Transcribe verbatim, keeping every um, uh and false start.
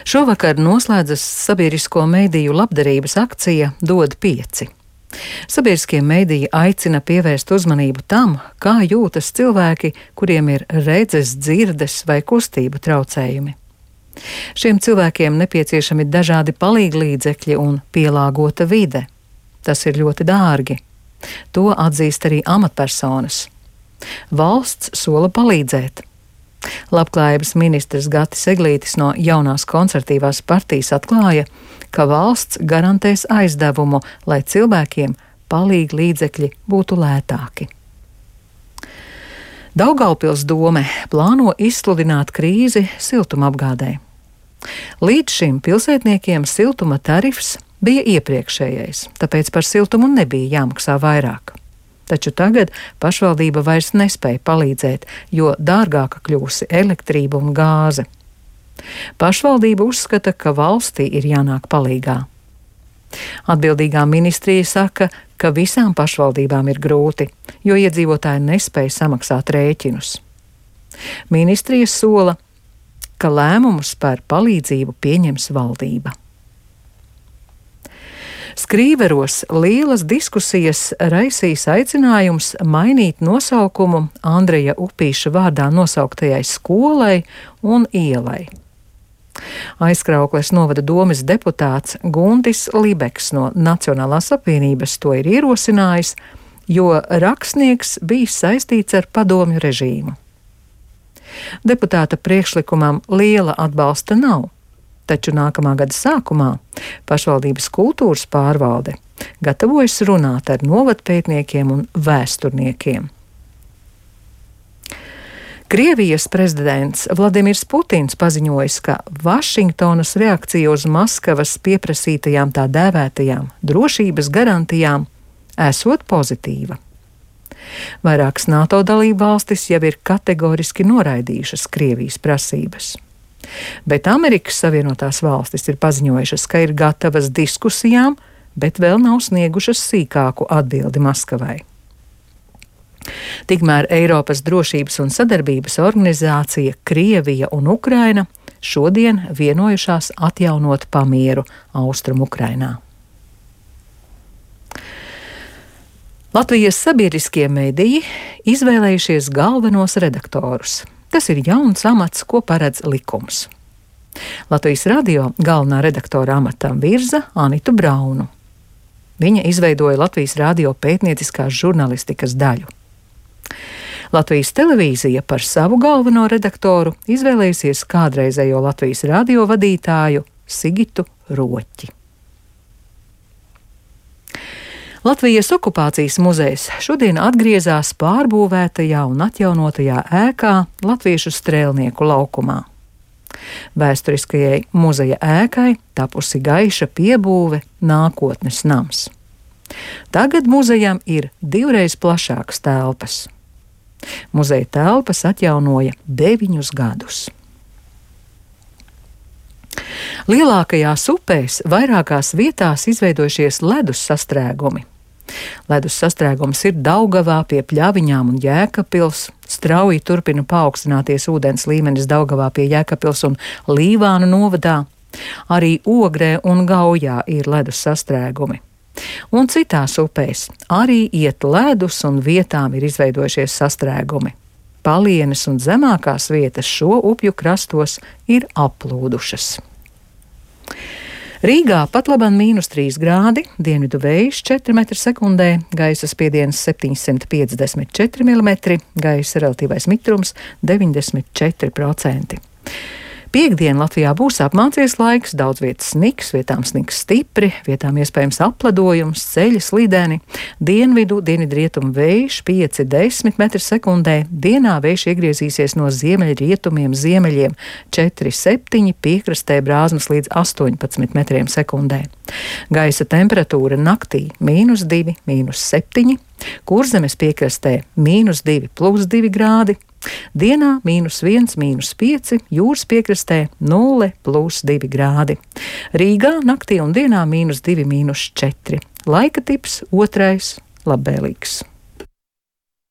Šovakar noslēdzas sabiedrisko mediju labdarības akcija Dod pieci. Sabiedriskie mediji aicina pievērst uzmanību tam, kā jūtas cilvēki, kuriem ir redzes, dzirdes vai kustību traucējumi. Šiem cilvēkiem nepieciešami dažādi palīglīdzekļi un pielāgota vide. Tas ir ļoti dārgi. To atzīst arī amatpersonas. Valsts sola palīdzēt. Labklājības ministrs Gatis Eglītis no jaunās konservatīvās partijas atklāja, ka valsts garantēs aizdevumu, lai cilvēkiem palīglīdzekļi būtu lētāki. Daugavpils dome plāno izsludināt krīzi siltumapgādē. Līdz šim pilsētniekiem siltuma tarifs bija iepriekšējais, tāpēc par siltumu nebija jāmaksā vairāk. Taču tagad pašvaldība vairs nespēja palīdzēt, jo dārgāka kļūsi elektrība un gāze. Pašvaldība uzskata, ka valstī ir jānāk palīgā. Atbildīgā ministrija saka, ka visām pašvaldībām ir grūti, jo iedzīvotāji nespēja samaksāt rēķinus. Ministrija sola, ka lēmumus par palīdzību pieņems valdība. Skrīveros lielas diskusijas raisīs aicinājums mainīt nosaukumu Andreja Upīša vārdā nosauktajai skolai un ielai. Aizkraukles novada domes deputāts Guntis Libeks no Nacionālās apvienības to ir ierosinājis, jo rakstnieks bijis saistīts ar padomju režīmu. Deputāta priekšlikumam liela atbalsta nav. Taču nākamā gada sākumā pašvaldības kultūras pārvalde gatavojas runāt ar novadpētniekiem un vēsturniekiem. Krievijas prezidents Vladimirs Putins paziņojis, ka Vašingtonas reakcija uz Maskavas pieprasītajām tā dēvētajām drošības garantijām esot pozitīva. Vairākas NATO dalību valstis jau ir kategoriski noraidījušas Krievijas prasības. Bet Amerikas Savienotās valstis ir paziņojušas, ka ir gatavas diskusijām, bet vēl nav sniegušas sīkāku atbildi Maskavai. Tikmēr Eiropas drošības un sadarbības organizācija Krievija un Ukraina šodien vienojušās atjaunot pamieru Austrum Ukrainā. Latvijas sabiedriskie mediji izvēlējušies galvenos redaktorus. Tas ir jauns amats, ko paredz likums. Latvijas radio galvenā redaktora amatam virza Anitu Braunu. Viņa izveidoja Latvijas radio pētnieciskās žurnālistikas daļu. Latvijas televīzija par savu galveno redaktoru izvēlējusies kādreizējo Latvijas radio vadītāju Sigitu Roķi. Latvijas okupācijas muzejs šodien atgriezās pārbūvētajā un atjaunotajā ēkā Latviešu strēlnieku laukumā. Vēsturiskajai muzeja ēkai tapusi gaiša piebūve nākotnes nams. Tagad muzejam ir divreiz plašākas telpas. Muzeja telpas atjaunoja deviņus gadus. Lielākajās upēs vairākās vietās izveidojušies ledus sastrēgumi. Ledus sastrēgums ir Daugavā pie Pļaviņām un Jēkabpils, strauji turpina paaugstināties ūdens līmenis Daugavā pie Jēkabpils un Līvānu novadā. Arī Ogrē un Gaujā ir ledus sastrēgumi. Un citās upēs arī iet ledus un vietām ir izveidojušies sastrēgumi. Palienes un zemākās vietas šo upju krastos ir aplūdušas. Rīgā patlaban mīnus trīs grādi, dienvidu vējš četri metri sekundē, gaisa spiediens septiņsimt piecdesmit četri milimetri, gaisa relatīvais mitrums deviņdesmit četri procenti. Piektdien Latvijā būs apmācies laiks, daudz vietas sniks, vietām sniks stipri, vietām iespējams apledojums, ceļi slideni, dienvidu, dienvidrietumu vējš pieci līdz desmit metri sekundē, dienā vējš iegriezīsies no ziemeļrietumiem ziemeļiem četri septiņi, piekrastē brāzmas līdz astoņpadsmit metriem sekundē. Gaisa temperatūra naktī mīnus divi, mīnus septiņi, Kurzemes piekrastē mīnus divi plus divi grādi, dienā mīnus viens, mīnus pieci, jūras piekrastē nulle plus divi grādi. Rīgā naktī un dienā mīnus divi, mīnus četri. Laika tips otrais labvēlīgs.